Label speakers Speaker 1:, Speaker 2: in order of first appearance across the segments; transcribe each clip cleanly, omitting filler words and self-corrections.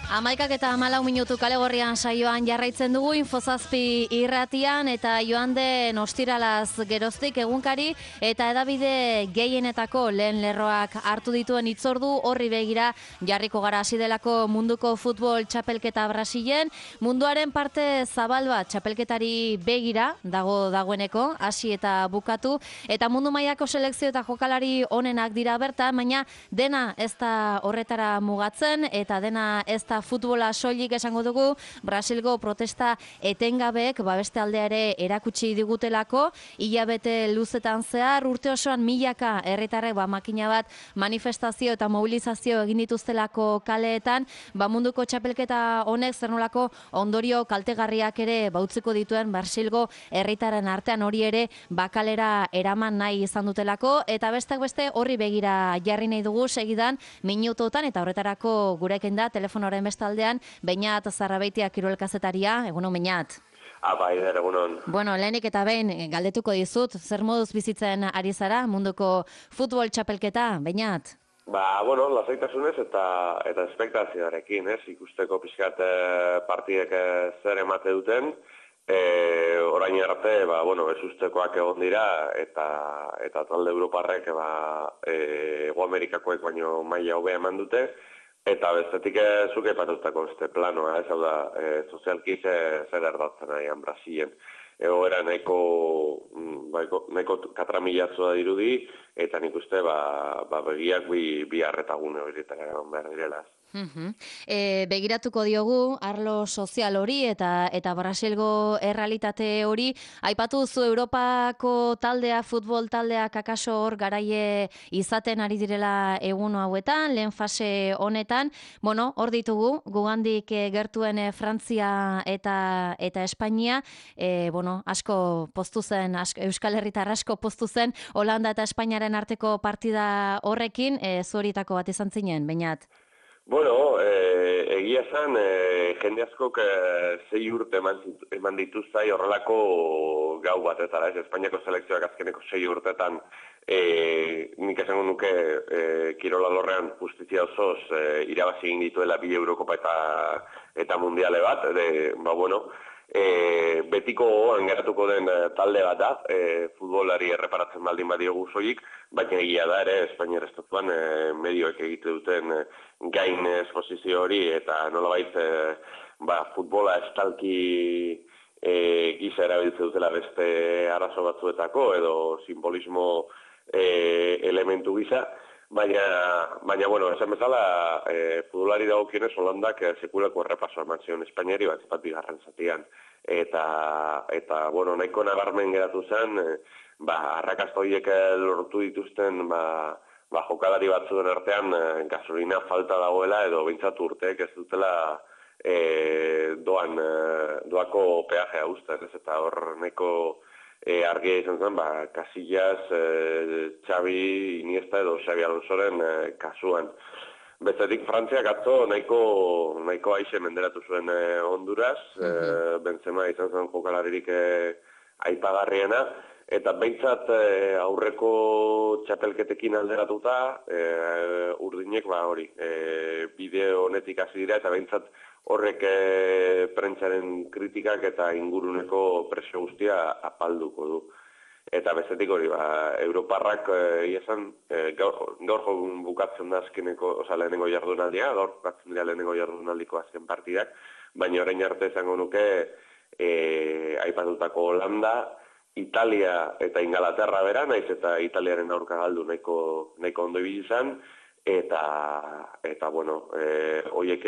Speaker 1: 11:14 kale gorrian saioan jarraitzen dugu Infozazpi irratian eta joan den ostiralaz geroztik egunkari eta hedabide gehienetako lehen lerroak hartu dituen hitzordu horri begira jarriko gara hasi delako munduko futbol txapelketa Brasilen. Munduaren parte zabal bat txapelketari begira dagoeneko hasi eta bukatu eta mundu mailako selekzio eta jokalari onenak dira bertan, baina dena ez da horretara mugatzen eta dena ez da futbola soilik esango dugu. Brasilgo protesta etengabeek beste aldea ere erakutsi digutelako, hilabete luzetan zehar urte osoan milaka herritarrek makina bat manifestazio eta mobilizazio egin dituztelako kaleetan, munduko txapelketa honek zer nolako ondorio kaltegarriak ere utziko dituen Brasilgo herritarren artean hori ere kalera eraman nahi izan dutelako eta besteak beste horri begira jarri nahi dugu segidan minutotan eta horretarako gurekin da telefonoren bestaldean Beñat Zarrabeitia kirolkazetaria. Egunon, Beñat.
Speaker 2: Aider, egunon.
Speaker 1: Bueno, lehenik eta behin galdetuko dizut, zer moduz bizitzen ari zara munduko futbol txapelketa, Beñat?
Speaker 2: Lasaitasunez eta espektazioarekin, ikusteko pixkat partidek zer emate duten, orain arte, ezustekoak egon dira eta talde Europarrek Hego Amerikakoek baino maila hobea eman dute, eta bestetik zuke patutako planoa, hau da, sozialki zer erdatzen nahian Brasilen. Egoera nahiko katramilatzua dirudi, eta nik uste begiak bi harretagune horietara egon behar direla.
Speaker 1: Begiratuko diogu arlo sozial hori eta Brasilgo errealitate hori. Aipatu duzu Europako taldea, futbol taldeak akaso hor garaie izaten ari direla egun hauetan, lehen fase honetan. Hor ditugu, gugandik gertuen Frantzia eta Espainia, asko poztu zen, Euskal Herritar asko poztu zen Holanda eta Espainiaren arteko partida horrekin, zuhorietako bat izan zinen, Beñat?
Speaker 2: Egia esan, jende askok 6 urte eman dituzai horrelako gau batetara, Espainiako selekzioak azkeneko 6 urtetan nik esango nuke kirola lorrean justizia osoz irabazi egin dituela 2 Eurokopa eta mundiale bat, betiko gogoan geratuko den talde bat da, futbolari erreparatzen baldin badiogu soilik, baina egia da ere Espainiar estatuan medioek egite duten gain esposizio hori eta nolabait futbola estalki gisa erabiltze dutela beste arazo batzuetako edo simbolismo elementu gisa. Baina, esan bezala, futbolari dagokionez Holandak sekulako errepasoa eman zion Espainiari bat bigarren zatian. Eta nahiko nabarmen geratu zen, arrakasta horiek lortu dituzten, jokalari batzuen artean gasolina falta dagoela edo behintzat urteek ez dutela doako peajea uzten, eta hor nahiko argia izan zen, Casillas, Xavi, Iniesta edo Xabi Alonsoren kasuan. Bestetik Frantziak atzo nahiko aixe menderatu zuen Honduras, Benzema izan zen jokalaririk aipagarriena, eta behintzat aurreko txapelketekin alderatuta, urdinek bideo honetik hasi dira, eta behintzat horrek prentsaren kritikak eta inguruneko presio guztia apalduko du. Eta bestetik hori, Europarrak gaur bukatzen da azkeneko, lehenengo jardunaldia, gaur bukatzen dira lehenengo jardunaldiko azken partidak, baina orain arte izango nuke aipatutako Holanda, Italia eta Ingalaterra bera, naiz eta Italiaren aurka galdu nahiko ondo ibili izan, eta horiek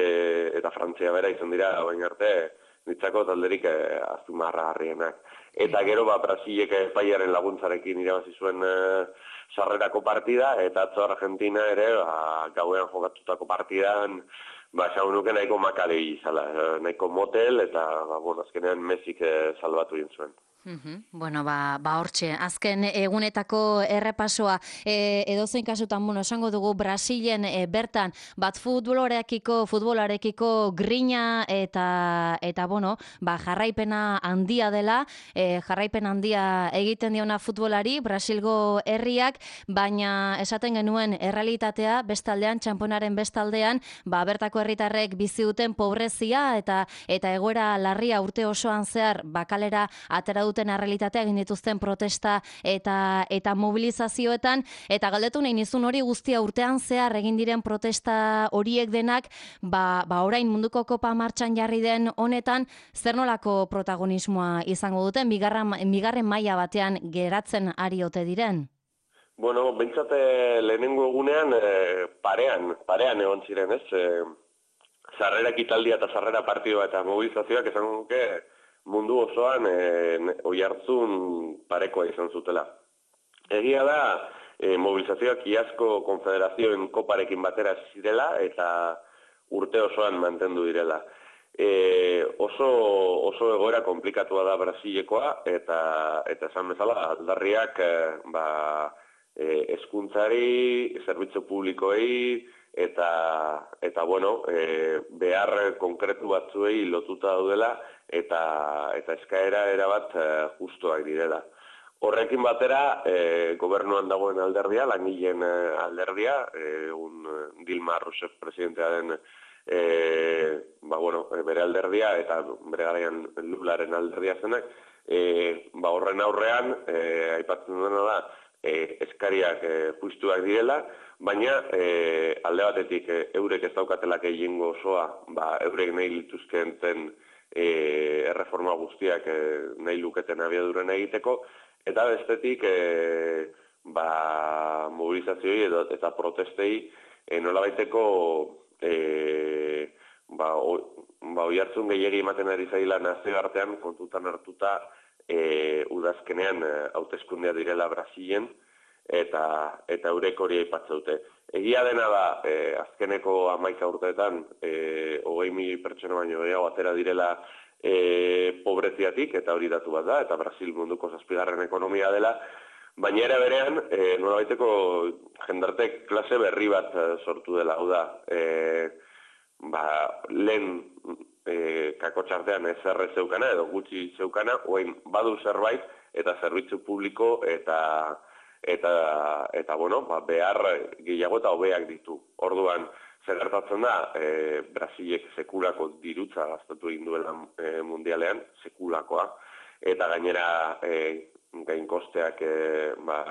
Speaker 2: eta Frantzia bera izan dira orain arte nitzako talderik azpimarragarrienak. Eta gero Brasilek Espainiaren laguntzarekin irabazi zuen sarrerako partida, eta atzo Argentina ere gauean jokatutako partidan esango nuke nahiko makale izala, nahiko motel, eta azkenean Messik salbatu egin zuen.
Speaker 1: Bueno, hortxe, azken egunetako errepasoa, edozein kasutan, esango dugu Brasilen bertan, bat futbolarekiko grina eta jarraipena handia dela, jarraipen handia egiten diona futbolari, Brasilgo herriak, baina esaten genuen errealitatea, bestaldean, txamponaren bestaldean, bertako herritarrek bizi duten pobrezia eta egoera larria urte osoan zehar, kalera atera duten errealitatea egin dituzten protesta eta mobilizazioetan, eta galdetu nahi nizun hori guztia urtean zehar egin diren protesta horiek denak, orain munduko kopa martxan jarri den honetan, zer nolako protagonismoa izango duten, bigarren maila batean geratzen ari ote diren?
Speaker 2: Bueno, bentsate lehenengo egunean parean egon ziren, ez? Sarrera ekitaldia eta sarrera partidua eta mobilizazioak esan nuke mundu osoan oihartzun parekoa izan zutela. Egia da, mobilizazioak iazko konfederazioen koparekin batera zirela eta urte osoan mantendu direla. Oso egoera komplikatua da Brasilekoa eta esan bezala aldarriak hezkuntzari, zerbitzu publikoei eta behar konkretu batzuei lotuta daudela eta eskaera erabat justuak direla. Horrekin batera, gobernuan dagoen alderdia, langileen alderdia, Dilma Rousseff presidentea den bere alderdia eta bere garaian Lularen alderdia zenak, horren aurrean, aipatzen dena da, eskariak justuak direla, baina alde batetik eurek ez daukatelak egingo osoa, eurek nahi lituzkeen erreforma guztiak nahi luketen abiaduren egiteko, eta bestetik mobilizazioei eta protestei nolabaiteko oihartzun gehiegi ematen ari zaila nazioartean kontutan hartuta udazkenean hauteskundea direla Brasilen eta eurek hori aipatzeute. Egia dena da, azkeneko 11 urteetan 20.000 pertsona baino gehiago atera direla pobreziatik, eta hori datu bat da, eta Brasil munduko 7. ekonomia dela, baina ere berean, nolabaiteko jendarte klase berri bat sortu dela, hau da, lehen kakotxartean ezer zeukana, edo gutxi zeukana, oain badu zerbait, eta zerbitzu publiko, eta behar gehiago eta hobeak ditu. Orduan, zer gertatzen da, Brasilek sekulako dirutza gastatu egin duela mundialean, sekulakoa, eta gainera gainkosteak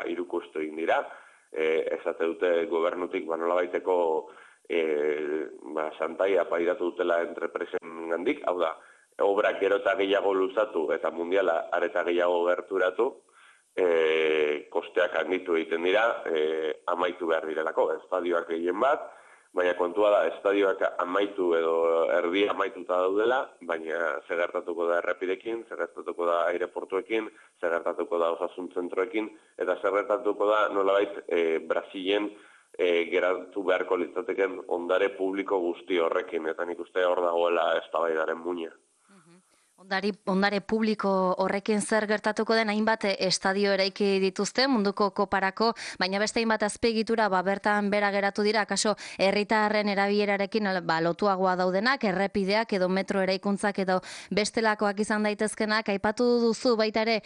Speaker 2: irukostu egin dira, esate dute gobernutik nolabaiteko santaia pairatu dutela entrepresen gandik, hau da, obrak gero eta gehiago luzatu eta mundiala areta gehiago gerturatu, kosteak handitu egiten dira, amaitu behar direlako, estadioak gehien bat, baina kontua da, estadioak amaitu edo erdi amaituta daudela, baina zer gertatuko da errepidekin, zer gertatuko da aireportuekin, zer gertatuko da osasun zentroekin, eta zer gertatuko da nolabait Brasilen geratu beharko litzateken ondare publiko guzti horrekin, eta nik uste hor dagoela eztabaidaren muina.
Speaker 1: Ondare publiko horrekin zer gertatuko den hainbat estadio eraiki dituzte munduko koparako, baina beste hainbat azpiegitura bertan bera geratu dira, akaso herritarren erabilerarekin lotuagoa daudenak, errepideak edo metro eraikuntzak edo bestelakoak izan daitezkenak, aipatu duzu baita ere,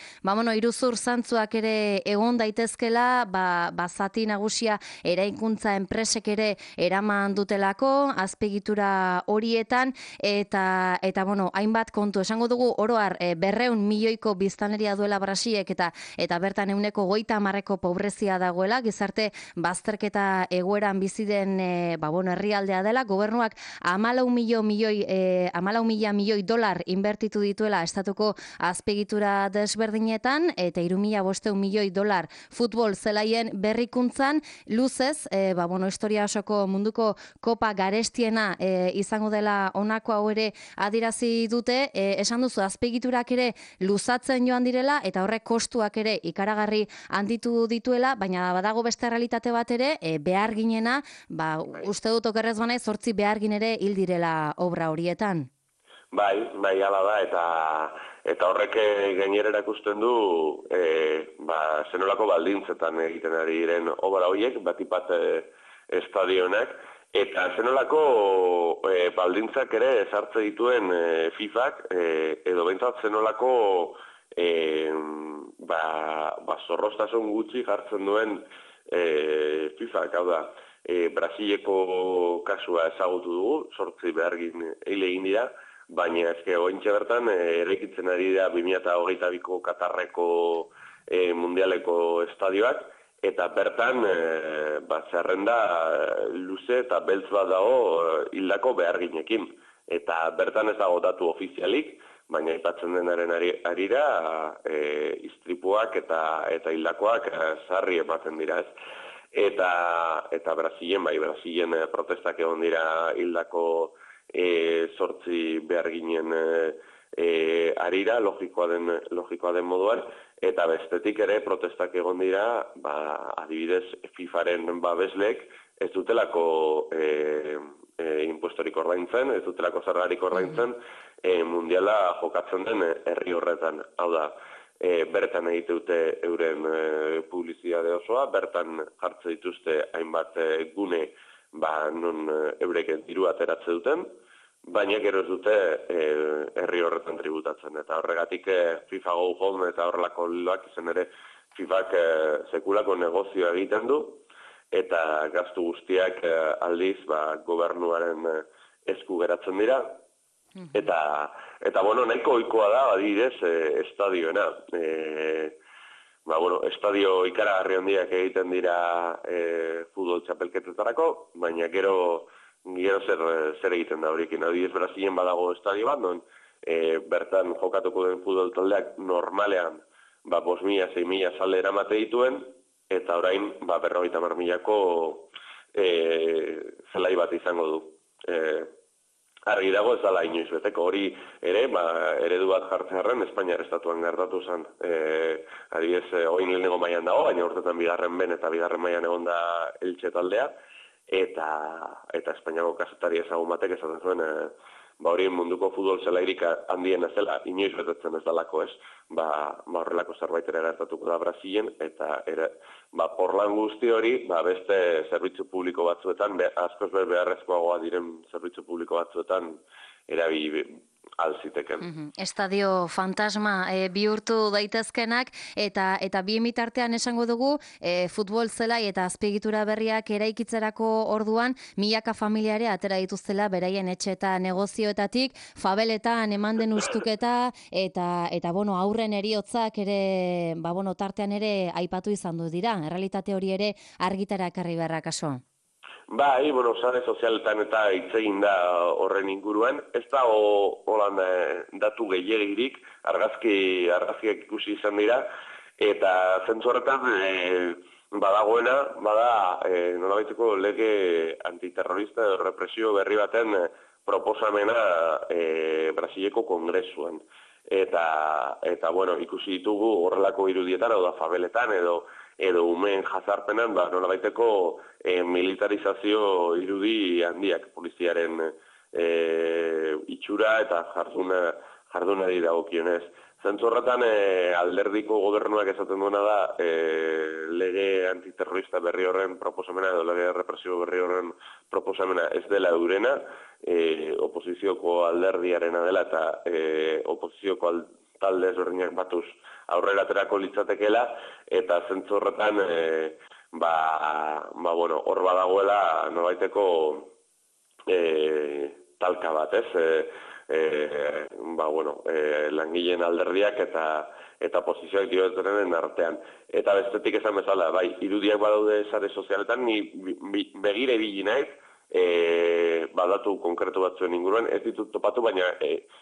Speaker 1: iruzur zantzuak ere egon daitezkela, zati nagusia eraikuntza enpresek ere eraman dutelako, azpiegitura horietan, eta hainbat kontu esango dugu oroar 200 milioiko biztanleria duela Brasilek eta bertan 130% pobrezia dagoela, gizarte bazterketa egoeran bizi den herrialdea dela, gobernuak 14.000 milioi dolar inbertitu dituela estatuko azpiegitura desberdinetan eta 3.500 milioi dolar futbol zelaien berrikuntzan, luzez, historia osoko munduko kopa garestiena izango dela honako hau ere adierazi dute, esan duzu azpiegiturak ere luzatzen joan direla eta horrek kostuak ere ikaragarri handitu dituela, baina badago beste realitate bat ere, behar ginena, uste dut okerrez banaiz 8 behargin ere hil direla obra horietan.
Speaker 2: Bai, hala da, eta Eta horrek gainera erakusten du zenolako baldintzetan egiten ari diren obra horiek, batipat estadionak, eta zenolako baldintzak ere ezartze dituen FIFak, edo behintzat zenolako zorroztasun gutxi jartzen duen FIFak, hau da, Brasileko kasua ezagutu dugu, 8 behargin egin dira, baina ezke ointxe bertan eraikitzen ari da 2022ko Katarreko mundialeko estadioak, eta bertan zerrenda luze eta beltz bat dago hildako beharginekin. Eta bertan ez dago datu ofizialik, baina aipatzen denaren arira istripuak eta hildakoak sarri ematen dira, ez. Eta Brasilen protestak egon dira hildako 8 beharginen arira, logikoa den moduan, eta bestetik ere protestak egon dira, adibidez FIFaren babesleek ez dutelako impuestorik ordaintzen, ez dutelako zergarik ordaintzen, mundiala jokatzen den herri horretan. Hau da, bertan egite dute euren publizitate osoa, bertan jartze dituzte hainbat gune non eurek diru ateratze duten, baina gero ez dute herri horretan tributatzen. Eta horregatik FIFA Go Home eta horrelako loak izan ere FIFak sekulako negozioa egiten du, eta gastu guztiak aldiz gobernuaren esku geratzen dira. Eta nahiko ohikoa da, adibidez, estadioena. Estadio ikaragarri handiak egiten dira futbol txapelketetarako, baina gero zer egiten da horiekin. Adibidez, Brasilen badago estadio bat, non bertan jokatuko den futbol taldeak normalean 5.000, 6.000 zale eramate dituen, eta orain 50.000ko zelai bat izango du. Argi dago ez dela inoiz beteko, hori ere, eredu bat jartzearen Espainiar estatuan gertatu zen. Adibidez, oin lehenengo mailan dago, baina urtetan bigarren ben eta bigarren mailan egon da Elche taldea, eta Espainiako kazetari ezagun batek esaten zuen, hori munduko futbol zelairik handien ez dela, inoiz betetzen ez dalako, ez? Horrelako zerbait ere gertatuko da Brasilen, eta porlan guzti hori, beste zerbitzu publiko batzuetan, askoz beharrezkoagoa diren zerbitzu publiko batzuetan erabili alziteken.
Speaker 1: Estadio fantasma bihurtu daitezkenak, eta bien bitartean esango dugu, futbol zelai eta azpiegitura berriak eraikitzerako orduan, milaka familiare atera dituztela beraien etxe eta negozioetatik, fabeletan eman den ustuketa, eta aurren heriotzak ere, tartean ere aipatu izan du dira. Errealitate hori ere argitara ekarri beharra kaso.
Speaker 2: Bai, sare sozialetan eta hitz egin da horren inguruan. Ez da holan datu gehiagirik, argazkiak ikusi izan dira, eta zentzu horretan badagoena, nolabaiteko lege antiterrorista edo represio berri baten proposamena Brasileko kongresuan. Eta ikusi ditugu horrelako irudietan, edo fabeletan, edo umeen jazarpenan, nolabaiteko militarizazio irudi handiak poliziaren itxura eta jardunari dagokionez. Zentzu horretan alderdiko gobernuak esaten duena da lege antiterrorista berri horren proposamena edo lege represio berri horren proposamena ez dela eurena, oposizioko alderdiarena dela eta oposizioko talde ezberdinak batuz aurrera aterako litzatekeela, eta zentzu horretan hor badagoela nobaiteko talka bat, ez? Langileen alderdiak eta posizioak dioetenen artean. Eta bestetik esan bezala, irudiak badaude sare sozialetan, ni begire ibili naiz, datu konkretu batzuen inguruan, ez ditut topatu, baina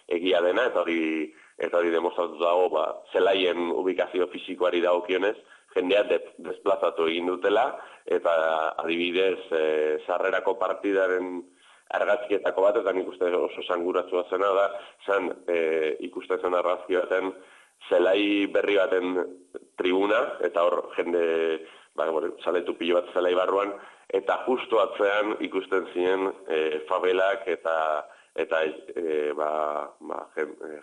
Speaker 2: egia dena, eta hori demostratu dago, zelaien ubikazio fisikoari dagokionez, jendea desplazatu egin dutela, eta adibidez, sarrerako partidaren argazkietako bat, eta nik uste oso sanguratzua zena da, ikusten zen argazki baten zelai berri baten tribuna, eta hor jende, zaletu pilo bat zelai barruan, eta justu atzean ikusten ziren fabelak eta eta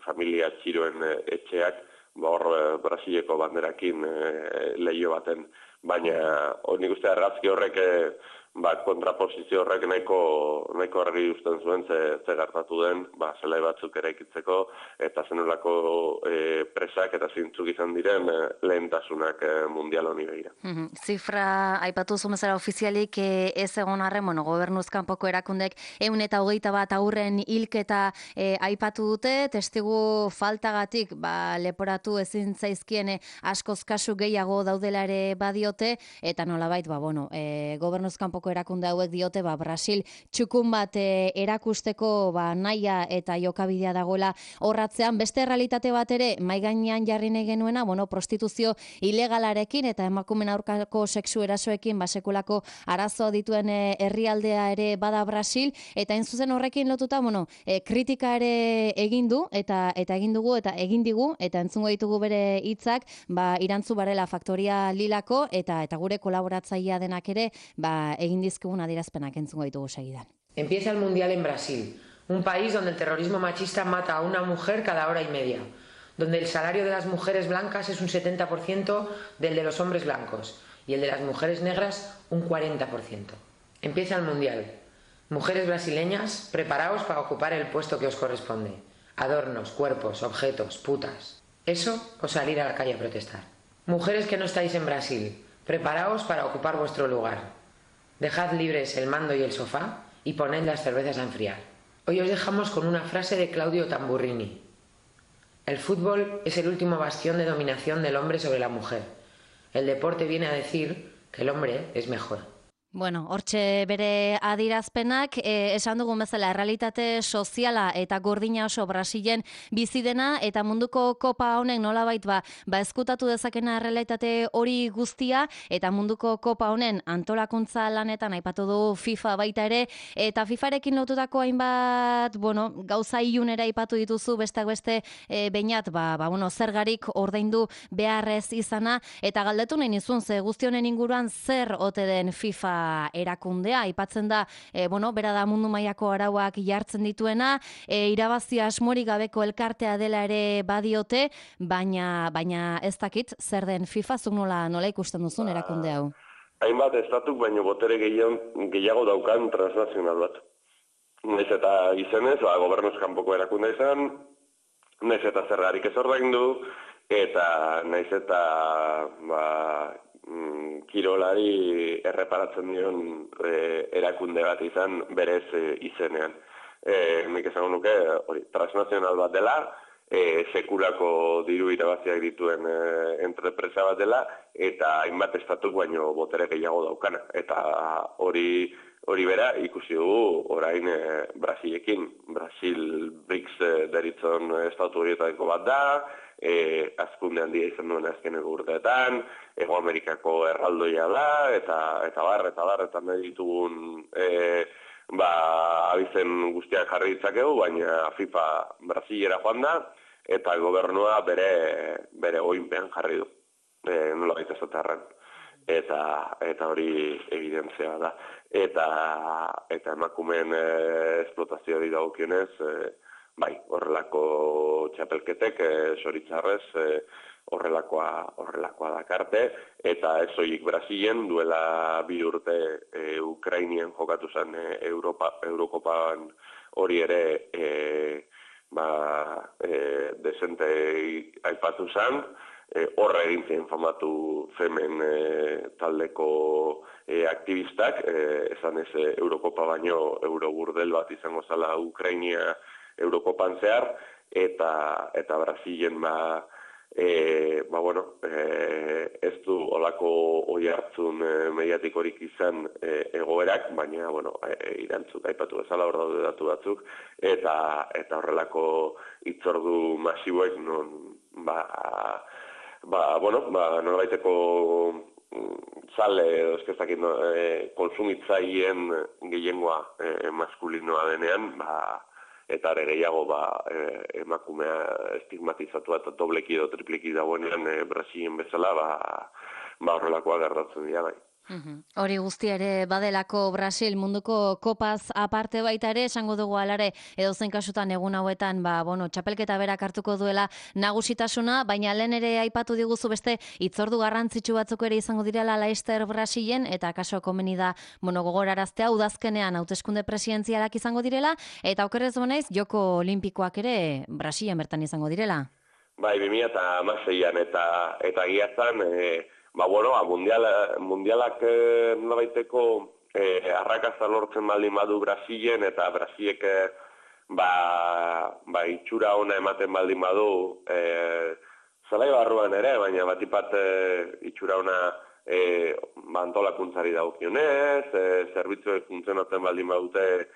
Speaker 2: familia txiroen etxeak hor Brasileko banderakin lehio baten, baina nik uste argazki horrek kontraposizio horrek nahiko argi uzten zuen ze gertatu den, zelai batzuk eraikitzeko eta zenolako presak eta zintzuk izan diren lehentasunak mundial honi begira.
Speaker 1: Zifra aipatu zumezara ofizialik ez egon arren, gobernuz kanpoko erakundek 121 haurren hilketa aipatu dute, testigu faltagatik leporatu ezin zaizkien askoz kasu gehiago daudela ere badiote, eta nolabait gobernuz kanpoko erakunde hauek diote Brasil txukun bat erakusteko nahia eta jokabidea dagoela horratzean. Beste errealitate bat ere mahai gainean jarri nahi genuena, prostituzio ilegalarekin eta emakumeen aurkako sexu erasoekin sekulako arazoa dituen herrialdea ere bada Brasil, eta hain zuzen horrekin lotuta kritika ere egin du eta egin dugu eta egin digu eta entzungo ditugu bere hitzak Irantzu Barela Faktoria Lilako eta gure kolaboratzailea denak ere egin dizkigun adierazpenak entzungo ditugu segidan.
Speaker 3: Empieza el Mundial en Brasil, un país donde el terrorismo machista mata a una mujer cada hora y media, donde el salario de las mujeres blancas es un 70% del de los hombres blancos y el de las mujeres negras un 40%. Empieza el Mundial. Mujeres brasileñas, preparaos para ocupar el puesto que os corresponde. Adornos, cuerpos, objetos, putas. Eso o salir a la calle a protestar. Mujeres que no estáis en Brasil, preparaos para ocupar vuestro lugar. Dejad libres el mando y el sofá y poned las cervezas a enfriar. Hoy os dejamos con una frase de Claudio Tamburrini. El fútbol es el último bastión de dominación del hombre sobre la mujer. El deporte viene a decir que el hombre es mejor.
Speaker 1: Hortxe bere adirazpenak, esan dugun bezala, errealitate soziala eta gordina oso Brasilen bizi dena, eta munduko kopa honek nolabait ezkutatu dezakena errealitate hori guztia, eta munduko kopa honen antolakuntza lanetan aipatu du FIFA baita ere, eta FIFarekin lotutako hainbat, gauza ilunera aipatu dituzu, besteak beste beinat, zergarik ordaindu beharrez izana, eta galdetu nahi nizun, ze guzti honen inguruan zer ote den FIFA erakundea, aipatzen da, bera da mundu mailako arauak jartzen dituena, irabazi asmorik gabeko elkartea dela ere badiote, baina ez dakit zer den FIFA, zuk nola ikusten duzun erakunde hau?
Speaker 2: Hainbat estatuk baino botere gehiago daukan transnazional bat. Naiz eta izenez, gobernuz kanpoko erakunde izan, naiz eta zergarik ez ordaindu, eta naiz eta kirolari erreparatzen dion erakunde bat izan berez izenean. Nik esango nuke transnazional bat dela, sekulako diru irabaziak dituen entrepresa bat dela, eta hainbat estatuk baino botere gehiago daukana. Eta hori bera ikusi dugu orain Brasilekin. Brasil BRICS deritzon estatu horietako bat da, azkunde handia izan duen azkeneko urteetan, Hego Amerikako erraldoia da, eta nahi ditugun abizen guztiak jarri ditzakegu, baina FIFA Brasilera joan da, eta gobernua bere oinpean jarri du, nola baita esatarren. Eta hori evidentzia da. Eta emakumeen esplotazioari dagokionez, horrelako txapelketek, soritzarrez, horrelakoa dakarte, eta ez soilik Brasilen duela 2 urte Ukrainien jokatu zen Eurokopan hori ere desente aipatu zen, horra egin zen famatu Femen taldeko aktivistak, esan ez Eurokopa baino Euroburdel bat izango zala Ukrainia Eurokopan zehar, eta Brasilen ez du olako oihartzun mediatikorik izan egoerak, baina irantzuk aipatu bezala hor daude datu batzuk, eta horrelako hitzordu masiboek nolabaiteko zale konsumitzaileen gehiengoa maskulinoa denean, eta ere gehiago emakumea estigmatizatua eta dobleki edo tripleki dagoenean Brasilen bezala, horrelakoa gertatzen dira bai.
Speaker 1: Hori guztia ere badelako Brasil munduko kopaz aparte baita ere, esango dugu alare edozein kasutan egun hauetan, txapelketa berak hartuko duela nagusitasuna, baina lehen ere aipatu diguzu beste hitzordu garrantzitsu batzuk ere izango direla Leicester Brasilen, eta kaso komeni da, gogoraraztea udazkenean hauteskunde presidentzialak izango direla, eta okerrez banaiz joko olimpikoak ere Brasilen bertan izango direla.
Speaker 2: Bai, 2016an eta giazan, mundialak norabaiteko arrakasta lortzen baldin badu Brasilen, eta Brasilek itxura ona ematen baldin badu zelai barruan ere, baina batipat itxura ona antolakuntzari dagokionez, zerbitzuek funtzionatzen baldin badute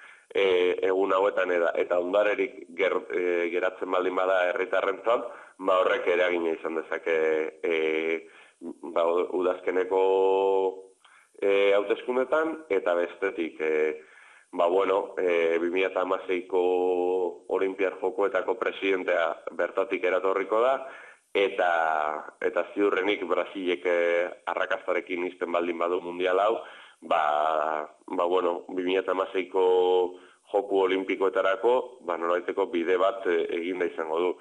Speaker 2: egun hauetan eta ondarerik geratzen baldin bada herritarrentzat, horrek eragina izan dezake udazkeneko hauteskundetan, eta bestetik 2016ko Olinpiar Jokoetako presidentea bertatik eratorriko da, eta ziurrenik Brasilek arrakastarekin izten baldin badu mundial hau, 2016ko Joku Olimpikoetarako nolabaiteko bide bat eginda izango du.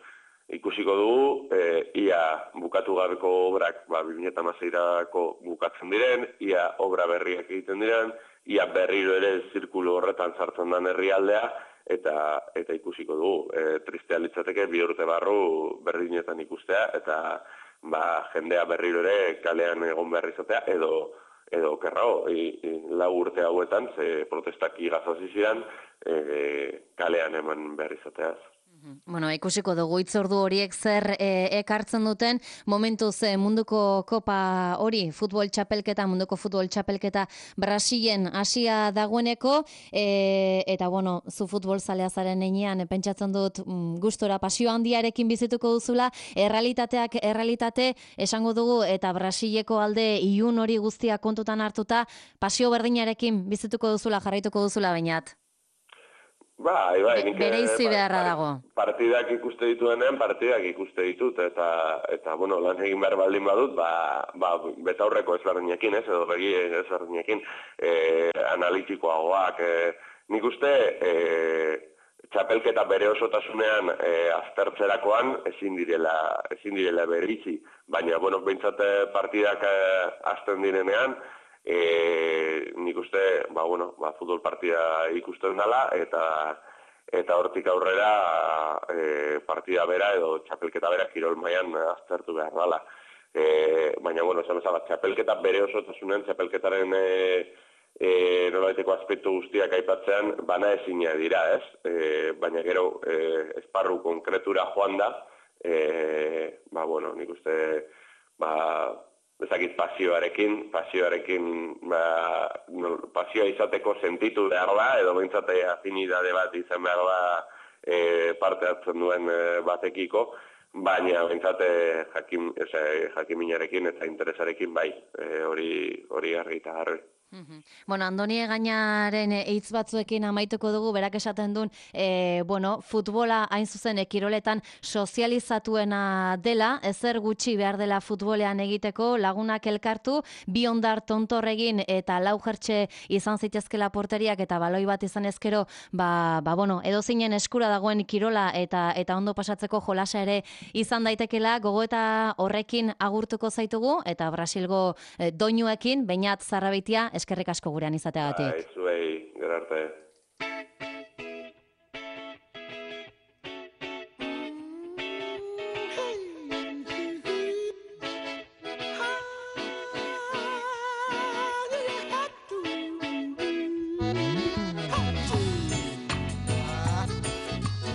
Speaker 2: Ikusiko dugu, ia bukatu gabeko obrak 2016ko bukatzen diren, ia obra berriak egiten diren, ia berriro ere zirkulu horretan sartzen den herrialdea, eta ikusiko dugu. Tristea litzateke 2 urte barru berdinetan ikustea, eta jendea berriro ere kalean egon behar izatea, edo okerrago, 4 urte hauetan, ze protestak igazazi ziren, kalean eman behar izateaz.
Speaker 1: Ikusiko dugu hitzordu horiek zer ekartzen duten, momentuz munduko kopa hori, munduko futbol txapelketa Brasilen hasia dagoeneko, eta zu futbol zalea zaren heinean, pentsatzen dut gustora pasio handiarekin bizituko duzula, errealitate esango dugu, eta Brasileko alde ilun hori guztia kontutan hartuta, pasio berdinarekin bizituko duzula, jarraituko duzula bainat.
Speaker 2: Bai,
Speaker 1: bereizi beharra dago.
Speaker 2: Partidak ikuste dituenean, partidak ikuste ditut, eta lan egin behar baldin badut, betaurreko ezberdinekin, edo begi ezberdinekin, analitikoagoak. Nik uste, txapelketa bere osotasunean aztertzerakoan ezin direla bereizi, baina, behintzat partidak azten direnean, nik uste, futbol partida ikusten dela, eta hortik aurrera partida bera edo txapelketa bera kirol mailan aztertu behar dela. Baina, esan bezala, txapelketa bere osotasunean, txapelketaren nolabaiteko aspektu guztiak aipatzean, bana ezina dira, ez? Baina gero, esparru konkretura joan da, nik uste, bezakit pasioarekin, pasioa izateko sentitu behar da, edo behintzate afinidade bat izan behar da parte hartzen duen batekiko, baina behintzate jakiminarekin eta interesarekin bai, hori argi eta garbi.
Speaker 1: Andoni Egañaren hitz batzuekin amaituko dugu, berak esaten duen, futbola hain zuzen kiroletan sozializatuena dela, ezer gutxi behar dela futbolean egiteko, lagunak elkartu, 2 hondar tontorregin eta 4 jertxe izan zitezkela porteriak eta baloi bat izan ezkero, edo zinen eskura dagoen kirola eta ondo pasatzeko jolasa ere izan daitekela, gogoeta horrekin agurtuko zaitugu, eta Brasilgo doinuekin, Beñat Zarrabitia, eskerrik asko gurean izateagatik.
Speaker 2: Zuei.